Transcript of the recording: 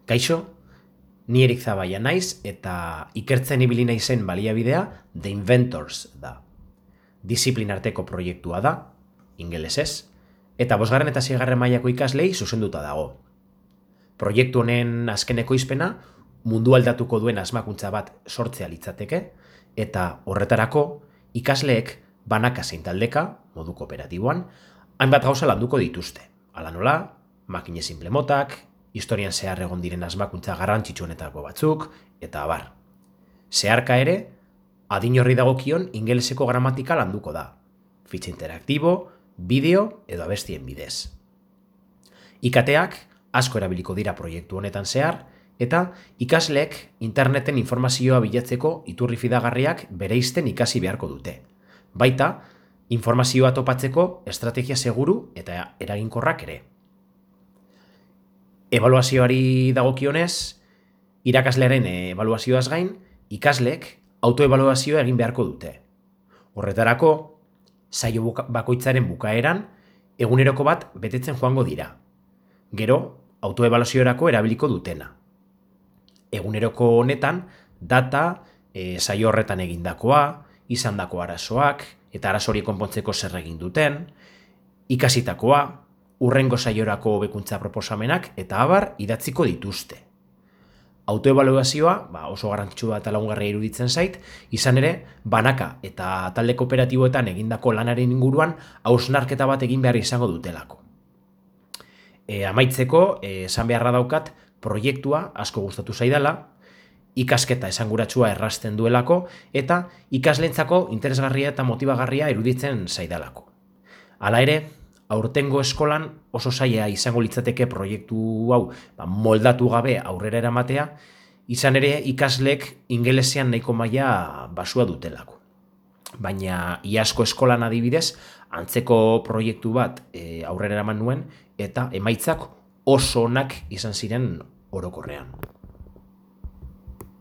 Kaixo, ni Erik Zabaia naiz eta ikertzen ibili naizen baliabidea The Inventors da. Disiplin arteko proiektua da, ingelesez, eta 5. eta 6. mailako ikaslei zuzenduta dago. Proiektu honen azkeneko izpena mundu aldatuko duen asmakuntza bat sortzea litzateke, eta horretarako ikasleek banaka zein taldeka, modu kooperatiboan, hainbat gauza landuko dituzte. Hala nola, makine simple motak, historian zehar egon diren asmakuntza garrantzitsuenetako batzuk, eta abar. Zeharka ere, adin horri dagokion ingeleseko gramatika landuko da. Fitxa interaktibo, bideo edo abestien bidez. IKTak asko erabiliko dira proiektu honetan zehar, eta ikasleek interneten informazioa bilatzeko iturri fidagarriak bereizten ikasi beharko dute. Baita, informazioa topatzeko estrategia seguru eta eraginkorrak ere. Ebaluazioari dagokionez, irakaslearen ebaluazioaz gain, ikasleek autoebaluazioa egin beharko dute. Horretarako, saio bakoitzaren bukaeran, eguneroko bat betetzen joango dira. Gero, autoebaluaziorako erabiliko dutena. Eguneroko honetan, data, saio horretan egindakoa, izandako arazoak, eta arazo horiek konpontzeko zer egin duten, ikasitakoa, hurrengo saiorako hobekuntza proposamenak eta abar idatziko dituzte. Autoebaluazioa oso garrantzitsua eta lagungarria iruditzen zait, izan ere, banaka eta talde kooperatiboetan egindako lanaren inguruan hausnarketa bat egin behar izango dutelako. Amaitzeko, esan beharra daukat, proiektua asko gustatu zaidala, ikasketa esanguratsua errazten duelako, eta ikaslentzako interesgarria eta motibagarria iruditzen zaidalako. Hala ere, aurtengo eskolan oso zaila izango litzateke proiektu hau moldatu gabe aurrera eramatea, izan ere ikasleek ingelesean nahiko maila basua dutelako. Baina iazko eskolan adibidez, antzeko proiektu bat aurrera eraman nuen, eta emaitzak oso onak izan ziren orokorrean.